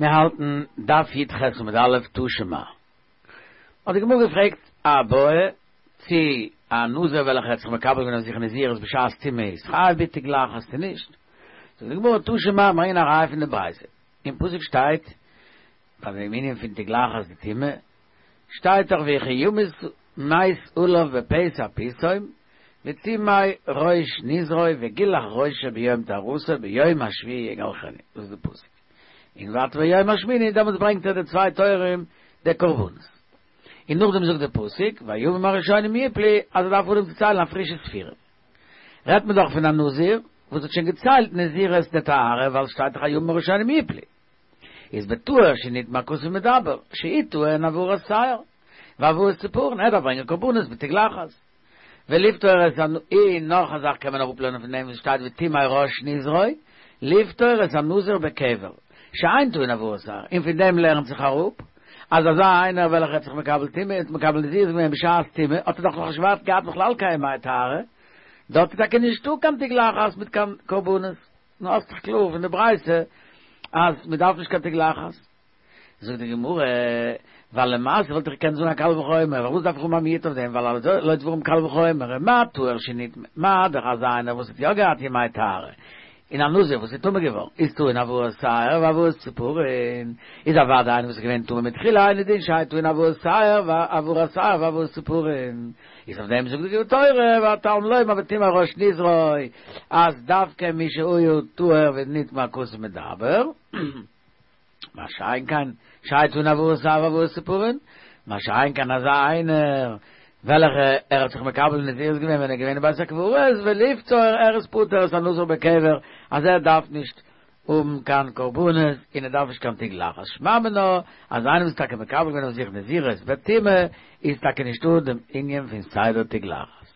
מיר האלטן דף י"ח עמוד א' תא שמע. האט די גמרא געפרעגט א בעיא צי א נזיר וועלכער האט זיך מקבל געווען אויף זיך נזירות בשעת טומאה איז חייב בתגלחת צו נישט. זאגט די גמרא תא שמע ברענגען א ראיה פון די ברייתא. אין פסוק שטייט ביי דעם ענין פון תגלחת דטומאה שטייט דאך וכי ימות מת עליו בפתע פתאום וטמא ראש נזרו וגילח ראשו ביום טהרתו ביום השביעי יגלחנו דאס איז די פסוק און ווייטער ביום השמיני דעמאלטס ברענגט ער די צוויי תורים די קרבנות און נאכדעם זאגט די פסוק והימים הראשונים יפלו אז ער דארף אנהויבן צו ציילן א פרישע ספירה רעדט מען דאך פון א נזיר וואס האט שוין געציילט נזירות דטהרה ווייל שטייט דאך הימים הראשונים יפלו איז בטהור שנטמא הכתוב מדבר שהוא טעון העברת שער והבאת ציפורן ער דארף ברענגען קרבנות בתגלחת ולפטור את הנ און נאך א זאך קען מען אראפלערנען פון דעם וואס שטייט וטמא ראש נזרו לפטור את הנזיר בקבר שאין טעון העברת שער און פון דעם לערנט זיך אראפ אז אזא איינער וועלכער האט זיך מקבל טומאה האט מקבל נזירות געווען בשעת טומאה האט ער דאך נאך נישט געהאט בכלל קיין ימי טהרה דארט איז טאקע נישטא קיין תגלחת מיט קיין קרבנות. נו האסט דאך קלאר פון די ברייתא אז מען דארף נישט קיין תגלחת. זאגט די גמרא, ווייל למעשה וואלט איך געקענט זאגן א קל וחומר, פארוואס דארף איך האבן א מיעוט אויף דעם, ווייל הלא דברים קל וחומר, מה טהור שנטמא, מה דאך אזא איינער וואס האט יא געהאט ימי טהרה, און א נזיר וואס איז טמא געווארן, איז טעון העברת שער והבאת ציפורין, איז אוודאי איינער וואס איז געווען טמא מתחילה אינו דין שיהא טעון העברת שער והעברת שער והבאת ציפורין. איז אויף דעם זאגט די תורה ותלמוד לומר וטמא ראש נזרו אז דווקא מי שהיה טהור ונטמא הכתוב מדבר, מה שאין כן שיהא טעון העברת שער והבאת ציפורין, מה שאין כן אזא איינער וועלכע ער האט זיך מקבל נזירות געווען ווען ער איז געווען אין בית הקברות ולפטור ער איז פוטר את הנזיר בקבר אז ער דארף נישט האבן קיין קרבנות און ער דארף נישט קיין תגלחת, שמע מינה אז איינער וואס איז טאקע מקבל געווען אויף זיך נזירות בטומאה איז טאקע נישטא דעם ענין פון סדר תגלחת.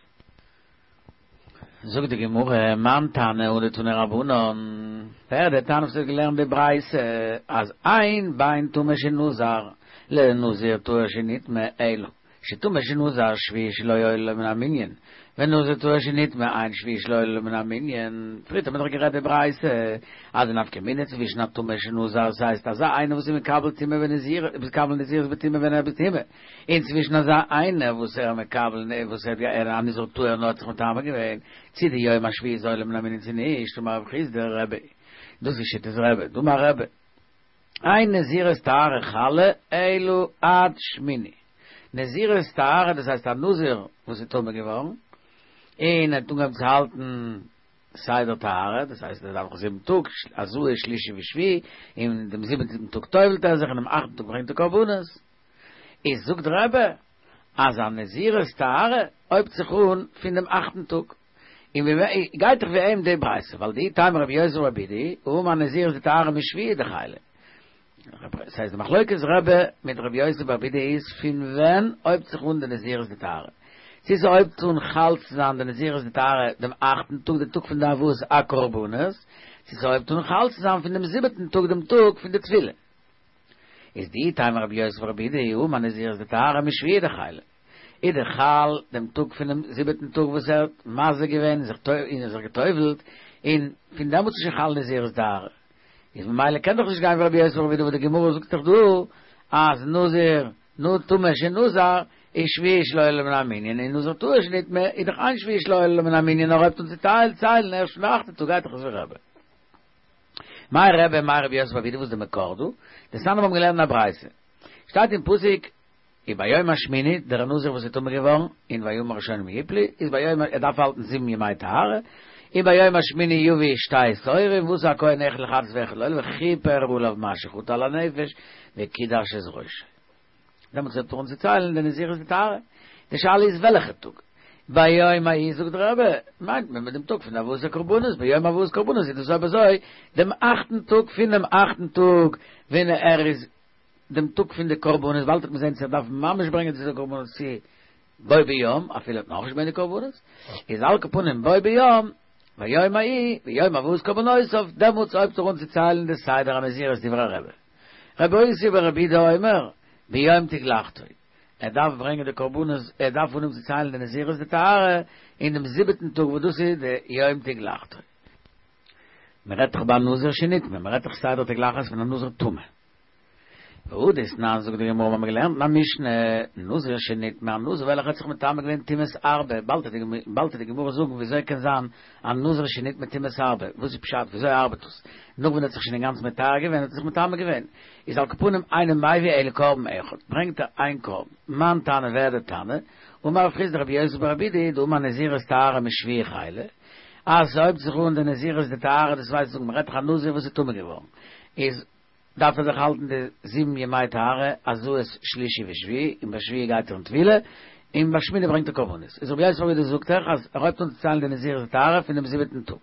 זאגט די גמרא, מאן תנא הא דתנו רבנן, ווער איז דער תנא וואס האט געלערנט די ברייתא אז אין בין טמא שנזר לנזיר טהור שנטמא אלא שטמא שנזר שביעי שלו עולה לו מן המנין, ונזיר טהור שנטמא אין שביעי שלו עולה לו מן המנין, פריערט האט מען דאך גערעדט די ברייתא אז די נפקא מינה צווישן א טמא שנזר ס'הייסט אזא איינער וואס איז מקבל טומאה בנזיר מקבל נזירות בטומאה ווען ער איז בטומאה, און צווישן אזא איינער וואס ער מקבל וואס ער איז א נזיר טהור נאר האט זיך מטמא געווען, צי די יום השביעי איז עולה מן המנין צי נישט, אמר רב חסדא רבי, דאס איז שיטת רבי, דאמר רבי. אין נזירות טהרה חלה אלא עד שמיני. נזירות טהרה דאס הייסט א נזיר וואס איז טמא געווארן און האט אנגעהויבן צו האלטן סדר טהרה דאס הייסט ער דארף זיך זיבן טאג הזאה שלישי ושביעי און דעם זיבעטן טאג טובל'ט ער זיך און דעם אכטן טאג ברענגט ער קרבנות איז זאגט רבי אז א נזירות טהרה הויבט זיך אן פון דעם אכטן טאג. און ווי גייט דאך ווי אים די ברייתא, ווייל דאי תימא רבי יוסי ברבי אידי, האמר נזירות דטהרה משביעי דחיילא. ס'הייסט די מחלוקת רבי מיט רבי יוסי ברבי אידי איז פון ווען הויבט זיך אן די נזירות דטהרה. צו ס'הויבט אן חל צו זיין די נזירות דטהרה דעם אכטן טאג די טאג פון די הבאת הקרבנות, צו ס'הויבט אן חל צו זיין פון דעם זיבעטן טאג דעם טאג פון די טבילה. איז דאי תימא רבי יוסי ברבי אידי האמר נזירות דטהרה משביעי דחיילא. איז דאך חל דעם טאג פונעם זיבעטן טאג וואס ער האט מזה געווען און זיך און זיך גע'טובל'ט, און פון דעמאלטס איז שוין חל נזירות דטהרה. איז ממילא קען דאך נישט גיין ווי רבי יוסי ברבי אידי וואס די גמרא זאגט דאך דא אז נזיר נו טמא שנזר איז שביעי שלו עולה מן המנין און נזיר טהור שנטמא איז דאך אין שביעי שלו עולה מן המנין נאר הויבט אן צו ציילן ערשט פון די אכטע טאג גייט דאך עס ווי רבי. מאי רבי מאי רבי יוסי ברבי אידי וואס איז די מקור דא? דתניא מיר האבן געלערנט אין א ברייתא. שטייט אין פסוק וביום השמיני, דער נזיר וואס איז טמא געווארן, און והימים הראשונים יפלו, איז ביום ער דארף האלטן זיבן ימי טהרה, וביום השמיני יביא שתי תורים, ועשה הכהן אחד לחטאת ואחד לעולה, וכיפר עליו מאשר חטא על הנפש, וקידש את ראשו. דעמאלטס הייבט ער אן צו ציילן די נזירות דטהרה. די שאלה איז וועלכע טאג? ביום ההוא זאגט דער רבי, מיינט מען מיט דעם טאג פון הבאת הקרבנות, ביום הבאת קרבנות איז דאס אויב אזוי דעם אכטן טאג פונעם אכטן טאג ווען ער איז דעם טאג פון די קרבנות, באלד וועט מען זען צו ער דארף ממש ברענגען די קרבנות צו בו ביום, אפילו האט נאכנישט געברענגט די קרבנות, איז על כל פנים בו ביום, ביום ההוא, ביום הבאת קרבנותיו, דעמאלטס הויבט ער אן צו ציילן די סדר הנזירות דברי רבי. רבי יוסי ברבי יהודה אומר, ביום תגלחתו, ער דארף ברענגען די קרבנות, ער דארף אנהויבן צו ציילן די נזירות דטהרה אין דעם זיבעטן טאג וואס דאס איז די יום תגלחתו. מען רעדט דאך ביי א נזיר שנטמא, מען רעדט דאך סדר תגלחת פון א נזיר טמא. והא דתנן זאגט די גמרא מ'האמיר געלערנט אין א משנה, נזיר שנטמא, א נזיר וועלכער האט זיך מטמא געווען טומאת הרבה, באלד וועט די גמרא זאגן וויאזוי קען זיין א נזיר שנטמא טומאת הרבה, וואס איז פשט וויאזוי ארבעט דאס, נאך ווען ער האט זיך שוין אינגאנצן מטהר געווען האט ער זיך מטמא געווען, איז על כל פנים אינו מביא אלא קרבן אחד, ברענגט ער איין קרבן, מאן תנא ווער דער תנא, אמר רב חסדא רבי יוסי ברבי יהודה דאמר נזירות טהרה משביעי חלה, אז ס'הויבט זיך אן די נזירות דטהרה דאס ווייסט זאגן מ'רעדט דאך א נזיר וואס איז טמא געווארן איז דארף ער זיך האלטן די זיבן ימי טהרה הזאת שלישי ושביעי און ביי שביעי גייט ער אין טבילה און ביי שמיני ברענגט ער קרבנות איז רבי יוסי ברבי יהודה זאגט דאך אז ער הויבט אן צו ציילן די נזירות דטהרה פון דעם זיבעטן טאג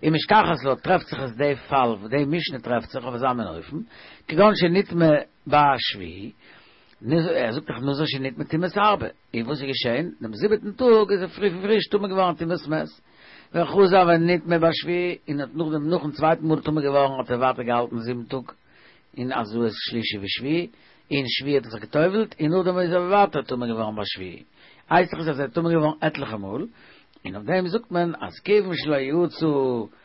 ומשכחת לה טרעפט זיך עס די פאל וואס די משנה טרעפט זיך אויף אזא מין אופן כגון שנטמא בשביעי ער זאגט דאך נזיר שנטמא טומאת הרבה און וואס איז געשען? דעם זיבעטן טאג איז ער פרי פריש טמא געווארן טומאת מת. וחזר ונטמא בשביעי, און האט נאכדעם נאכן צווייטן מאל טמא געווארן האט ער ווייטער געהאלטן זיבן טאג אין הזאת שלישי ושביעי, און שביעי האט ער זיך גע'טובל'ט, און נאכדעם איז ער ווייטער טמא געווארן בשביעי. הייסט דאך עס אז ער איז טמא געווארן עטליכע מאל, און אויף דעם זאגט מען אז כיוון שלא יצא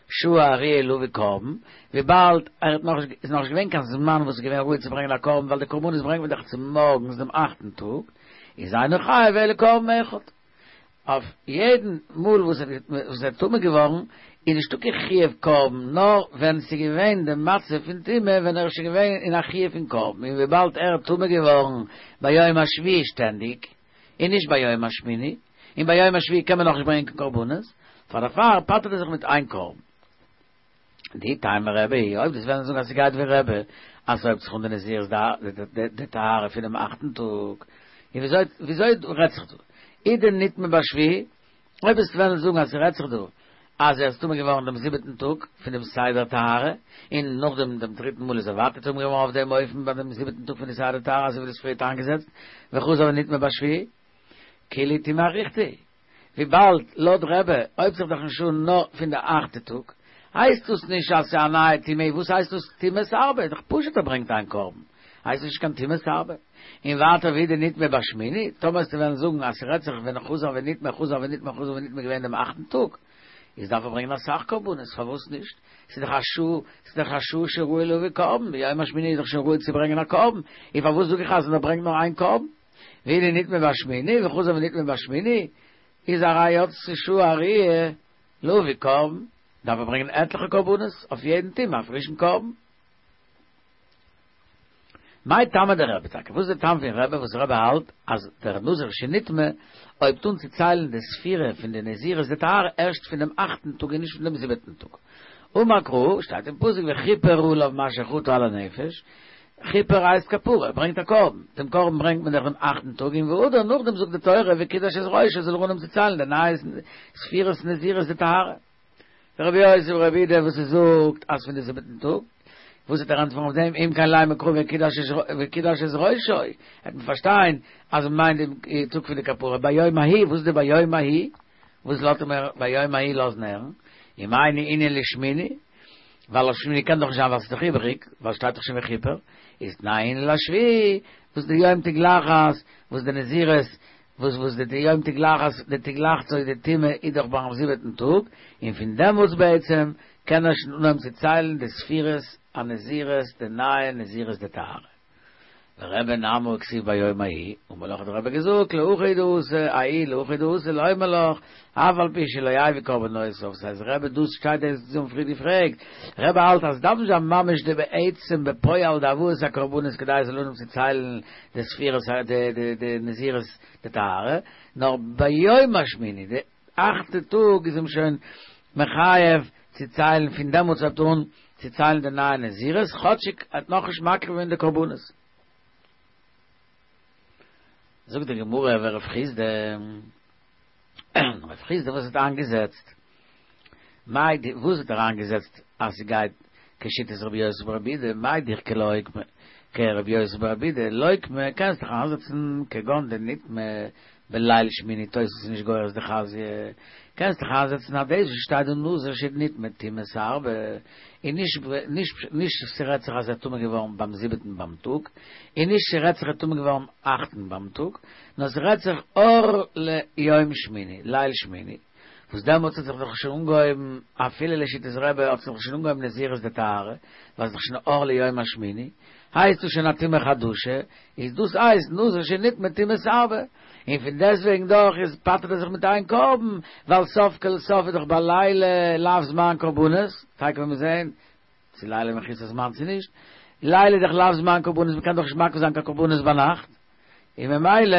שעה הראויה להביא קרבן, וויבאלד ער האט נאך איז נאך נישט געווען קיין זמן וואס איז געווען ראוי צו ברענגען א קרבן ווייל די קרבנות ברענגט מען דאך צומארגנס דעם אכטן טאג, איז אינו חייב אלא קרבן אחד. אויף יעדן מאל וואס ער איז טמא געווארן איז נישטא קיין חיוב קרבן נאר ווען ס'איז געווען די מצב פון טומאה ווען ער איז שוין געווען אין א חיוב פון קרבן און וויבאלד ער איז טמא געווארן ביום השביעי שטענדיג און נישט ביום השמיני און ביום השביעי קען מען נאכנישט ברענגען קיין קרבנות פאר דערפאר פטר'ט ער זיך מיט איין קרבן. דאי תימא רבי, אויב דו'סט וועלן זאגן אז ס'גייט ווי רבי, אז ס'הויבט זיך אן די נזירות דטהרה פונעם אכטן טאג, און וויאזוי וויאזוי רעדט זיך דא? אי דנטמא בשביעי, אויב וועסט וועלן זאגן אז ס'רעדט זיך דא אז ער איז טמא געווארן דעם זיבעטן טאג פון דעם סדר טהרה, און נאכדעם דעם דריטן מאל איז ער ווייטער טמא געווארן אויף דעם אופן ביי דעם זיבעטן טאג פון די סדר טהרה אזוי ווי דאס פריערט איינגעזעצט, וחזר ונטמא בשביעי, כולהו טומאה אריכתא היא. וויבאלד לויט רבי הויבט זיך דאך נישט אן נאר פון די אכטע טאג, הייסט דאס נישט אז ס'איז א נייע טומאה, וואס הייסט דאס טומאת הרבה? איז דאך פשוט ער ברענגט איין קרבן, הייסט עס נישט קיין טומאת הרבה. און ווייטער ואי דנטמא בשמיני, טאמער וועסטו וועלן זאגן אז ס'רעדט זיך ווען חזר ונטמא חזר ונטמא חזר ונטמא געווען דעם אכטן טאג, איז דארף ער ברענגען אסאך קרבנות, פארוואס נישט? ס'איז דאך א שעה, ס'איז דאך א שעה שראוי להביא קרבן, ביום השמיני איז דאך שוין ראוי צו ברענגען א קרבן, און פארוואס זאג איך אז ער ברענגט נאר איין קרבן? ואי דנטמא בשמיני וחזר ונטמא בשמיני איז הרי יצתה שעה הראויה להביא קרבן, דארף ער ברענגען עטליכע קרבנות אויף יעדן טומאה א פרישן קרבן. מאי טעמא דרבי טאקע, וואס איז די טעם פון רבי וואס רבי האלט אז דער נזיר שנטמא הויבט אן צו ציילן די ספירה פון די נזירות דטהרה ערשט פון דעם אכטן טאג און נישט פון דעם זיבעטן טאג? אמר קרא, שטייט אין פסוק וכיפר עליו מאשר חטא על הנפש, כיפר הייסט כפרה, ער ברענגט א קרבן, דעם קרבן ברענגט מען דאך דעם אכטן טאג און והדר נאכדעם זאגט די תורה וקידש את ראשו זאל ער אנהויבן צו ציילן די נייע ספירת נזירות דטהרה. ורבי יוסי ברבי יהודה וואס ער זאגט אז פון די זיבעטן טאג, וואס וועט ער ענטפערן אויף דעם אם כן לימא קרא וקידש את ראשו, העט מען פארשטיין אז מען מיינט דעם טאג פון די כפרה ביום ההוא, וואס איז די ביום ההוא? וואס לאזט ער מיר ביום ההוא לאזן הערן? אם אינו ענין לשמיני, ווייל אויף שמיני קען דאך נישט זיין ווייל ס'איז דאך איבעריג, ווייל שטייט דאך שוין וכיפר, איז תנאי ענין לשביעי, וואס די יום תגלחת, וואס די נזירות, וואס וואס די יום תגלחת, די תגלחתו די טומאה איז דאך ביים זיבעטן טאג, און פון דעמאלטס בעצם קען ער שוין אנהויבן צו ציילן די ספירות הנזירות די נייע נזירות דטהרה. ורבי נמי הכתיב ביום ההוא, אמר לך האט דער רבי געזאגט להכי הוא דאתא, ההוא להכי דאתא לומר לך, אף על פי שלא הביא קרבנותיו, ס'הייסט רבי דאס שטייט דאס האבן פריער געפרעגט, רבי האלט אז ס'דארף נישט זיין ממש די בעצם בפועל די הבאת הקרבנות כדי עס זאל אנהויבן צו ציילן די ספירות די די נזירות דטהרה, נאר ביום השמיני די אכטע טאג איז אים שוין מחייב צו ציילן פון דעמאלטס הייבט אן צו ציילן די נייע נזירות כאטשיג ער האט נאכנישט מקריב געווען די קרבנות. זאגט די גמרא ורב חסדא, רב חסדא וואס האט איינגעזעצט? מאי די וואס האט ער איינגעזעצט אז ס'גייט כשיטת רבי יוסי ברבי יהודה מאי דאיכא לאוקמא כרבי יוסי ברבי יהודה לוקמה קענסט דיך איינזעצן כגון דנטמא בליל שמיני תוס' איז נישט גורס דחזיא, קענסט דיך איינזעצן אז דאס וואס שטייט דא נזיר שנטמא טומאת הרבה, און נישט נישט נישט ס'רעדט זיך אז ער איז טמא געווארן ביים זיבעטן ביים טאג, און נישט ס'רעדט זיך ער איז טמא געווארן אכטן ביים טאג, נאר ס'רעדט זיך אור ליום שמיני, ליל שמיני. וואס דעמאלטס האט זיך דאך שוין אנגעהויבן, אפילו לשיטת רבי האט זיך דאך שוין אנגעהויבן נזירות דטהרה, ווייל ס'איז דאך שוין אור ליום השמיני, הייסט דאס שוין א טומאה חדשה, איז דאס הייסט נזיר שנטמא טומאת הרבה, און פון דעסטוועגן דאך איז פטר'ט ער זיך מיט איין קרבן, ווייל סוף כל סוף איז דאך בלילה לאו זמן קרבנות, תיכף וועלן מיר זעהן צו לילה מחוסר זמן צו נישט, לילה איז דאך לאו זמן קרבנות מ'קען דאך נישט מקריב זיין קיין קרבנות ביינאכט, און ממילא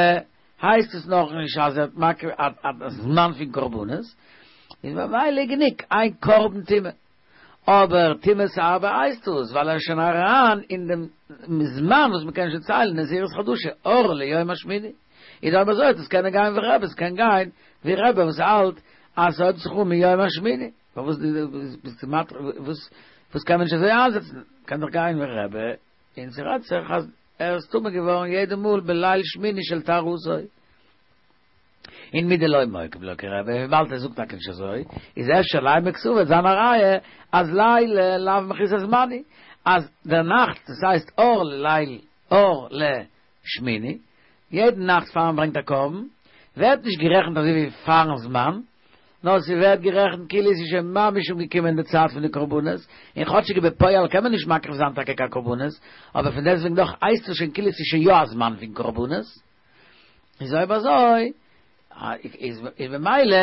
הייסט עס נאך נישט אז ער האט מקריב א זמן פון קרבנות, איז ממילא גענוג איין קרבן טומאה. אבער טומאת הרבה הייסט עס ווייל ער איז שוין אריין אין דעם זמן וואס מ'קען שוין ציילן נזירות חדשה, אור ליום השמיני. איז אויב אזוי וועט עס קענען גיין ווי רבי, עס קען גיין ווי רבי וואס האלט אז ס'הויבט זיך אן מיום השמיני. פארוואס ביסטו מתיר וואס וואס קען מען נישט אזוי איינזעצן? קען דאך גיין ווי רבי, און ס'רעדט זיך אז ער איז טמא געווארן יעדע מאל בליל שמיני של טהרתו. און מדלא מוקים לה כרבי, וויבאלד ער זאגט טאקע נישט אזוי, איז אפשר לימא קסבר וועט זיין א ראיה אז לילה לאו מחוסר זמן הוא, אז דער נאכט, דאס הייסט אור לליל אור לשמיני, יעדן נאכט פאר מען ברענגט א קרבן, ווערט נישט גערעכנט אזוי ווי פארן זמן, נאר ס'ווערט גערעכנט כאילו עס איז שוין ממש אנגעקומען די צייט פון די קרבנות, און כאטשיג בפועל קען מען נישט מקריב זיין טאקע קיין קרבנות, אבער פון דעסטוועגן דאך הייסט עס שוין כאילו עס איז שוין יא א זמן פון קרבנות. איז אויב אזוי איז ממילא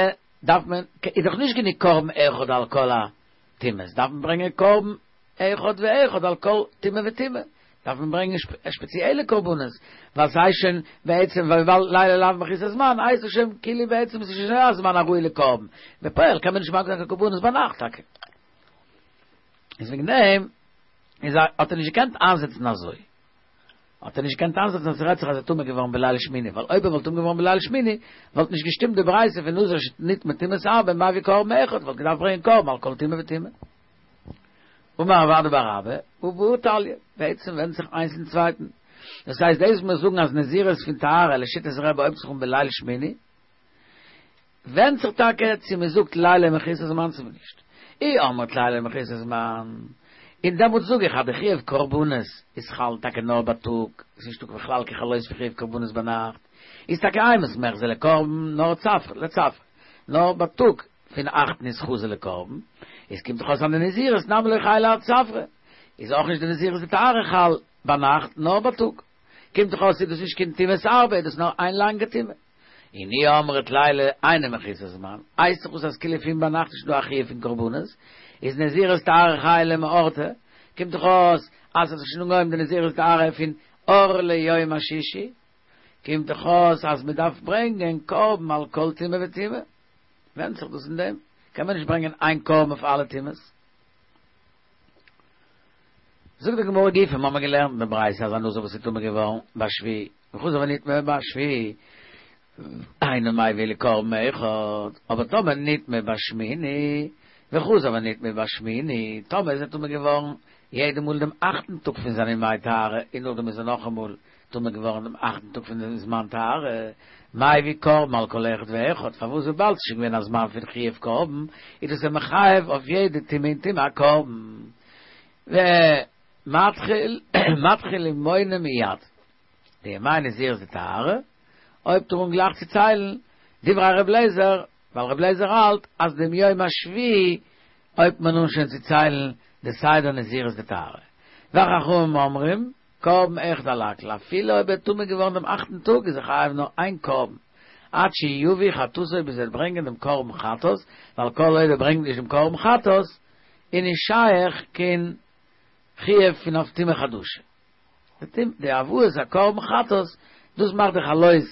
דארף מען, איז דאך נישט גענוג קרבן אחד על כל הטומאות, דארף מען ברענגען קרבן אחד ואחד על כל טומאה וטומאה, דארף מען ברענגען שפעציעלע קרבנות, ווייל ס'הייסט שוין בעצם ווייל לילה לאו מחוסר זמן הייסט עס שוין כאילו בעצם ס'איז שוין יא א זמן הראוי לקרבן, בפועל קען מען נישט מקריב זיין קיין קרבנות ביינאכט טאקע. איז וועגן דעם איז האט ער נישט געקענט איינזעצן אזוי. האט ער נישט געקענט איינזעצן אז ס'רעדט זיך אז ער איז טמא געווארן בליל שמיני, ווייל אויב ער וואלט טמא געווארן בליל שמיני, וואלט נישט געשטימט די ברייתא פון נזיר שנטמא טומאת הרבה מביא קרבן אחד, וואלט געדארפט ברענגען קרבן על כל טומאה וטומאה. אמר רב אדא בר אהבה, הא בהא תליא, בעצם ווענדט זיך איינס אין צווייטן. דאס הייסט דאס וואס מיר זאגן אז נזירות פון טהרה לשיטת רבי הויבט זיך אן בליל שמיני, ווענדט זיך טאקע צו מען זאגט לילה מחוסר זמן צו נישט. אי אמרת לילה מחוסר זמן, און דעמאלטס זאג איך אז די חיוב קרבנות איז חל טאקע נאר בייטאג, עס איז נישטא בכלל קיין חלות פון חיוב קרבנות ביינאכט, איז טאקע אימת מיחזי לקרבן נאר צפרא לצפרא, נאר בייטאג פון אכטן איז חזי לקרבן, איז קומט דאך אויס אז די נזירות נמי לא חיילא עד צפרא, איז אויך נישט די נזירות דטהרה חל ביינאכט נאר בייטאג. קומט דאך אויס איז דאס נישט קיין טומאת הרבה איז דאס נאר איין לאנגע טומאה. און אי אמרת לילה אינו מחוסר זמן, הייסט דאך אויס אז כאילו פון ביינאכט איז נישט דא א חיוב פון קרבנות, איז נזירות טהרה חיילא מאורתא, קומט דאך אויס אז ס'האט זיך שוין אנגעהויבן די נזירות טהרה פון אור ליום השישי, קומט דאך אויס אז מ'דארף ברענגען קרבן על כל טומאה וטומאה, ווענדט זיך דאס אין דעם, קען מען נישט ברענגען איין קרבן אויף אלע טומאות. זאגט די גמרא גופא, מ'האמער געלערנט אין די ברייתא אז א נזיר וואס איז טמא געווארן בשביעי וחזר ונטמא בשביעי אינו מביא אלא קרבן אחד, אבער טאמער נטמא בשמיני וחזר ונטמא בשמיני, טאמער איז ער טמא געווארן יעדע מאל דעם אכטן טאג פון זיינע ימי טהרה און נאכדעם איז ער נאכאמאל טמא געווארן דעם אכטן טאג פון דעם זמן טהרה, מביא קרבן על כל אחד ואחד, פארוואס וויבאלד ס'איז שוין געווען א זמן פון חיוב קרבן, איז דאס אים מחייב אויף יעדע טומאה און טומאה א קרבן. ומתחיל מתחיל ומונה מיד. די ימי נזירות דטהרה, הויבט ער אן גלייך צו ציילן, דברי ר' אליעזר, ווייל ר' אליעזר האלט אז דעם יום השביעי הויבט מען אן שוין צו ציילן די סדר נזירות דטהרה. וחכמים אומרים, קרבן אחד על הכל, אפילו אויב ער איז טמא געווארן דעם אכטן טאג איז ער חייב נאר איין קרבן, עד שיביא חטאתו ביז ער וועט ברענגען דעם קרבן חטאת, ווייל כל עוד ער ברענגט נישט דעם קרבן חטאת, איז נישט שייך קיין חיוב פון אויף טומאה חדשה. די הבאת הקרבן חטאת, דאס מאכט די חלות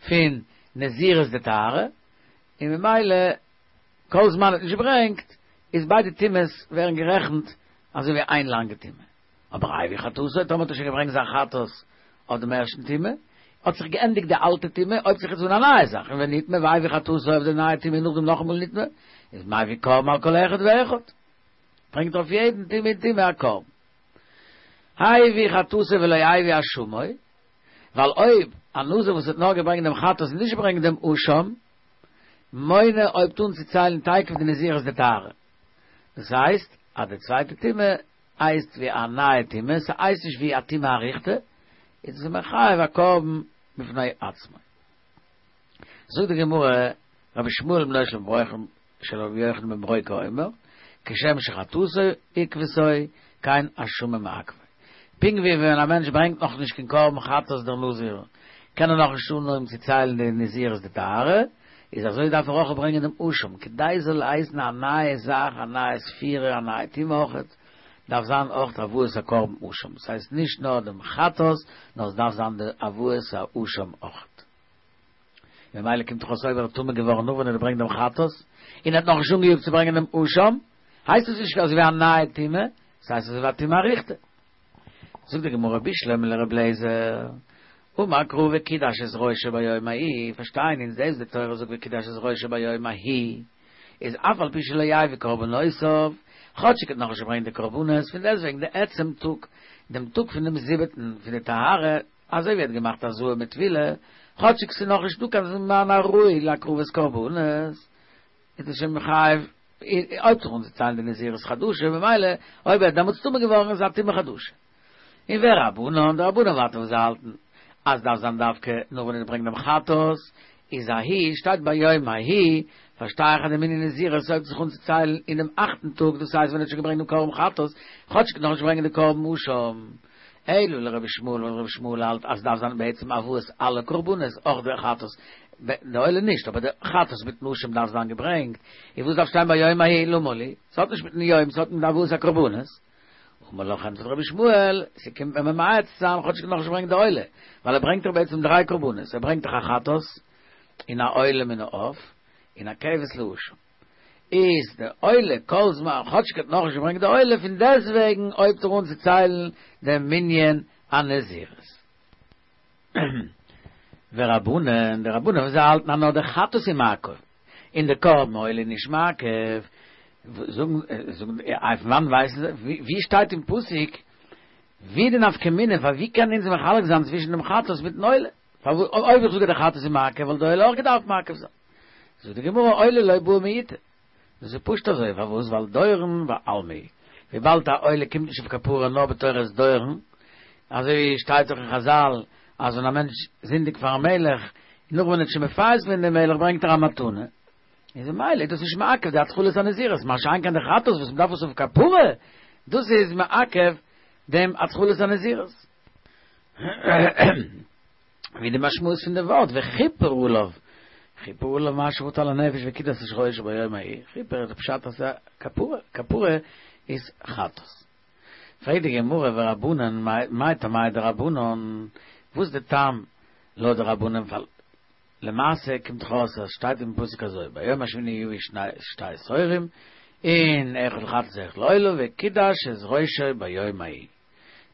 פון נזירות דטהרה, און ממילא כל זמן ער האט נישט געברענגט, איז ביידע טומאות ווערן גערעכנט אזוי ווי איין לאנגע טומאה. אבער הביא חטאתו, טאמער האט ער שוין געברענגט זיין חטאת אויף דעם ערשטן טומאה, האט זיך געענדיגט די אלטע טומאה, הויבט זיך יעצט אן א נייע זאך, און ונטמא והביא חטאתו אויף די נייע טומאה און נאכדעם נאכאמאל נטמא, איז מביא קרבן על כל אחד ואחד. ברענגט אויף יעדן טומאה און טומאה א קרבן. הביא חטאתו ולא הביא אשמו, ווייל אויב א נזיר וואס האט נאר געברענגט דעם חטאת און נישט געברענגט דעם אשם, מונה הויבט אן צו ציילן תיכף די נזירות דטהרה. דאס הייסט אז די צווייטע טומאה הייסט ווי א נייע טומאה, ס'הייסט נישט ווי א טומאה אריכתא, איז עס מחייב א קרבן בפני עצמו. זאגט די גמרא, רבי ישמעאל בנו של של רבי יוחנן בן ברוקה אומר, כשם שחטאתו עיכבתו, כן אשמו מעכבו. פונקט ווי ווען א מענטש ברענגט נאך נישט קיין קרבן חטאת דער נזיר, קען ער נאך נישט אנהויבן צו ציילן די נזירות דטהרה, איז אזוי דארף ער אויך ברענגען דעם אשם, כדי ס'זאל הייסן א נייע זאך, א נייע ספירה, א נייע טומאה אויכעט, דארף זיין אויך הבאת הקרבן אשם, ס'הייסט נישט נאר דעם חטאת, נאר עס דארף זיין די הבאת האשם אויכעט. ממילא קומט דאך אויס אויב ער איז טמא געווארן נאך ווען ער האט געברענגט דעם חטאת, און ער האט נאכנישט אנגעיאגט צו ברענגען דעם אשם, הייסט עס נישט אזויווי א נייע טומאה, ס'הייסט אזויווי א טומאה אריכתא. זאגט די גמרא בשלמא לר' אליעזר, אמר קרא וקידש את ראשו ביום ההוא, פארשטייען אונז דאס די תורה זאגט וקידש את ראשו ביום ההוא, איז אף על פי שלא הביא קרבנותיו, כאטשיג ער האט נאכנישט געברענגט די קרבנות, פון דעסטוועגן די עצם טאג, דעם טאג פון דעם זיבעטן פון די טהרה, אזוי ווי ער האט געמאכט הזאה מיט טבילה, כאטשיג ס'איז נאכנישט דא קיין זמן הראוי להקרבת קרבנות, איז עס שוין מחייב הויבט זיך אן צו ציילן די נזירות חדשה, ממילא אויב ער איז דעמאלטס טמא געווארן איז א טומאה חדשה. און ורבנן, די רבנן ווייטער וואס זיי האלטן אז דארף זיין דווקא נאר ווען ער ברענגט דעם חטאת, איז ההוא שטייט ביום ההוא, פארשטיי איך אז די מנין נזירות הויבט זיך אן צו ציילן אינעם אכטן טאג, דאס הייסט ווען ער האט שוין געברענגט דעם קרבן חטאת, כאטשיג נאכנישט ברענגען די קרבן אשם. אלא לרבי ישמעאל ווייל רבי ישמעאל האלט אז ס'דארף זיין בעצם הבאת אלע קרבנות אויך די חטאת, די עולה נישט אבער די חטאת מיטן אשם דארף זיין געברענגט, און וואס דארף שטיין ביום ההוא למה לי? ס'האט נישט מיטן יום ס'האט מיט הבאת הקרבנות. אמר לך ענטפערט רבי ישמעאל, ס'קומט מיר ממעט צו זיין כאטשיג נאכנישט געברענגט די עולה, ווייל ער ברענגט דאך בעצם דריי קרבנות, ער ברענגט דאך א חטאת, און א עולה מן העוף, און א כבש לאשם. איז די עולה כל זמן כאטשיג ער האט נאכנישט געברענגט די עולה פון דעסטוועגן הויבט ער אן צו ציילן דעם מנין הנזירות. ורבנן, די רבנן וואס זיי האלטן אז נאר די חטאת איז מעכב, און די קרבן עולה איז נישט מעכב, זאגן, זאגן, אויף וואנעט ווייסן זיי, ווי שטייט אין פסוק, ווי די נפקא מינה, פאר ווי קען אונז מחלק זיין צווישן דעם חטאת מיטן עולה? פארוואס אויב איך זאג אז די חטאת איז מעכב וואלט די עולה אויך געדארפט מעכב זיין? זאגט די גמרא עולה לא בעי מיעוטא. דאס איז פשוט אזוי, פארוואס? ווייל דורון בעלמא הוא, וויבאלד א עולה קומט נישט אויף כפרה נאר בתורת דורון, אזוי ווי שטייט דאך אין חזל אז ווען א מענטש זינדיגט פארן מלך, און נאך ווען ער האט שוין מפייס געווען דעם מלך ברענגט ער א מתנה, איז ממילא איז דאס נישט מעכב די התחלת הנזירות, מה שאין כן די חטאת וואס מ'דארף עס אויף כפרה, דאס איז מעכב דעם התחלת הנזירות. ווי די משמעות פון די ווארט וכיפר עליו, כיפר עליו מה שחטא על הנפש וקידש את ראשו ביום ההוא, כיפר איז די פשט אז ס'איז א כפרה, כפרה איז חטאת. פרעגט די גמרא ורבנן מאי טעמייהו דרבנן, וואס איז די טעם לויט די רבנן ווייל למעשה קומט דאך אויס אז שטייט אין פסוק אזוי ביום השמיני יביא שני תורים און אחד לחטאת ואחד לעולה וקידש את ראשו ביום ההוא.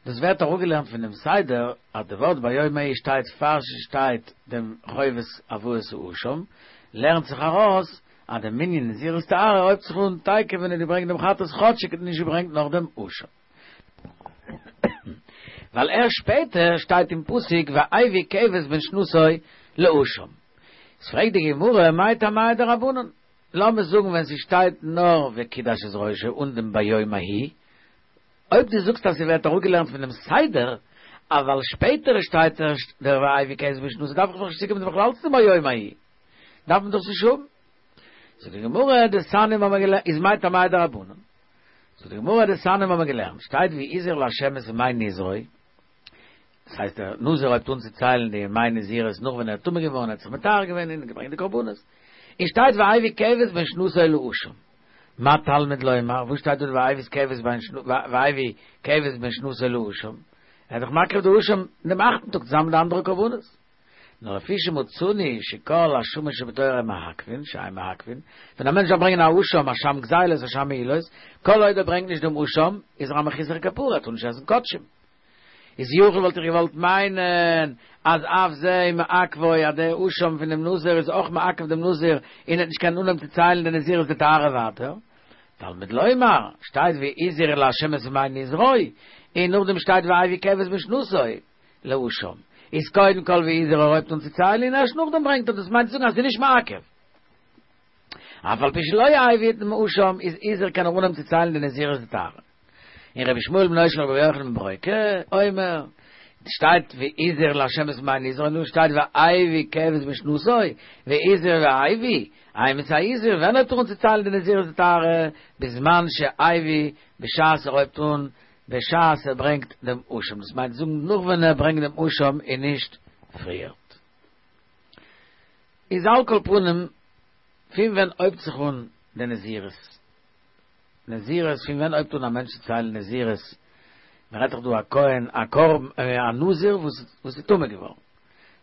דאס ווערט אראפגעלערנט פון דעם סדר אז די ווארט ביום ההוא שטייט פאר ס'שטייט דעם חובת הבאת האשם, לערנט זיך ארויס אז די מנין נזירות טהרה הויבט זיך אן תיכף ווען ער האט געברענגט דעם חטאת כאטשיג ער האט נישט געברענגט נאך דעם אשם. ווייל ערשט שפעטער שטייט אין פסוק והביא כבש בן שנתו לאשם. איז פרעגט די גמרא מאי טעמייהו דרבנן, לאמיר זאגן ווען ס'שטייט נאר וקידש את ראשו אן דעם ביום ההוא, אויב דו זאגסט אז ס'ווערט אראפגעלערנט פון דעם סדר, אבל שפעטער שטייט ערשט דער והביא כבש בן שנתו דארף איך דאך נישט צוקומען בכלל צו דעם ביום ההוא, דארף מען דאס נישט האבן. זאגט די גמרא דתניא האבן מיר געלערנט איז מאי טעמייהו דרבנן. זאגט די גמרא דתניא האבן מיר געלערנט שטייט והזיר לה' את ימי נזרו, דאס הייסט דער נזיר הויבט אן צו ציילן די ימי נזירות נאך ווען ער איז טמא געווארן ער האט זיך מטהר געווען און געברענגט די קרבנות, און שטייט והביא כבש בן שנתו לאשם. מה תלמוד לומר, וואס שטייט דארט והביא כבש בן והביא כבש בן שנתו לאשם? ער איז דאך מקריב די אשם אין דעם אכטן טאג צוזאמען מיט די אנדערע קרבנות. נאר לפי שמצינו שכל אשמות שבתורה מעכבין, שאין מעכבין, ווען א מענטש דארף ברענגען א אשם, אשם גזילות, אשם מעילות, כל עוד ער ברענגט נישט דעם אשם, איז ער א מחוסר כפרה, ער טאר נישט עסן קדשים. איז יכול וואלט איך געוואלט מיינען אז אף זה מעכבו אז דער אשם פון דעם נזיר איז אויך מעכב דעם נזיר און ער וועט נישט קענען אנהויבן צו ציילן די נזירות דטהרה ווייטער. תלמוד לומר, שטייט והזיר לה' את ימי נזרו, און נאכדעם שטייט והביא כבש בן שנתו לאשם. איז קודם כל והזיר ער הויבט אן צו ציילן און ערשט נאכדעם ברענגט ער דאס מיינט צו זאגן אז ס'איז נישט מעכב. אף על פי שלא הביא דעם אשם איז הזיר קען ער אנהויבן צו ציילן די נזירות דטהרה. און רבי ישמעאל בנו של רבי יוחנן בן ברוקה אומר, שטייט והזיר להשם את מי נזרו, נו שטייט והביא כבש בשנתו, והזיר והביא, אימתי הזיר, ווען הויבט ער אן צו ציילן די נזירות דטהרה, בזמן שהביא, בשעת ער הויבט אן, בשעת ער ברענגט דעם אשם, דאס מיינט זאגן נאך ווען ער ברענגט דעם אשם און נישט פריערט. איז על כל פנים, פון ווען הויבט זיך אן די נזירות? נזירות, פון ווען הויבט אן א מענטש צו ציילן נזירות? מען רעדט דאך דא א כהן, א קרבן, א נזיר וואס איז טמא געווארן,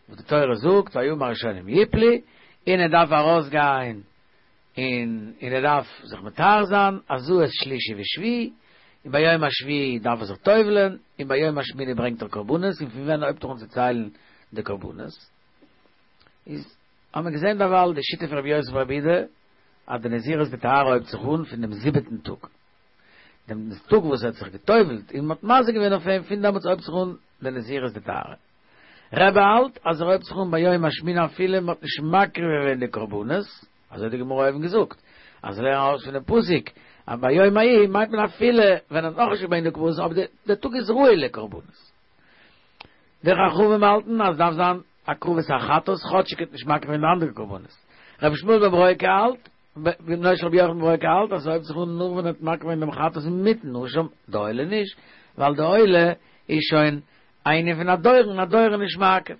וואס די תורה זאגט והימים הראשונים יפלו, און ער דארף ארויסגיין און און ער דארף זיך מטהר זיין, הזאת שלישי ושביעי, און ביום השביעי דארף ער זיך טובל'ען, און ביום השמיני ברענגט ער קרבנות, און פון ווען הויבט ער אן צו ציילן די קרבנות? איז האט מען געזען דערווייל די שיטה פון רבי יוסי ברבי יהודה, אז די נזירות דטהרה הויבט זיך אן פון דעם זיבעטן טאג, דעם טאג וואס ער האט זיך גע'טובל'ט און מ'האט מזה געווען אויף אים, פון דעמאלטס הויבט זיך אן די נזירות דטהרה. רבי האלט אז ער הויבט זיך אן ביום השמיני אפילו מ'האט נישט מקריב געווען די קרבנות, אזוי האט די גמרא אויבן געזאגט, אז לערן ארויס פונעם פסוק אז ביום ההוא מיינט מען אפילו ווען ער האט נאכנישט געברענגט די קרבנות אבער דער טאג איז ראוי לקרבנות. די חכמים האלטן אז דארף זיין הקרבת החטאת כאטשיג ער האט נישט מקריב געווען די אנדערע קרבנות. רבי ישמעאל בן ברוקה האלט, בנו של רבי יוחנן בן ברוקה האלט אז ס'הויבט זיך אן נאר ווען ער האט מקריב געווען דעם חטאת מיטן אשם, די עולה נישט, ווייל די עולה איז שוין א ענין פון א דורון, א דורון איז נישט מעכב.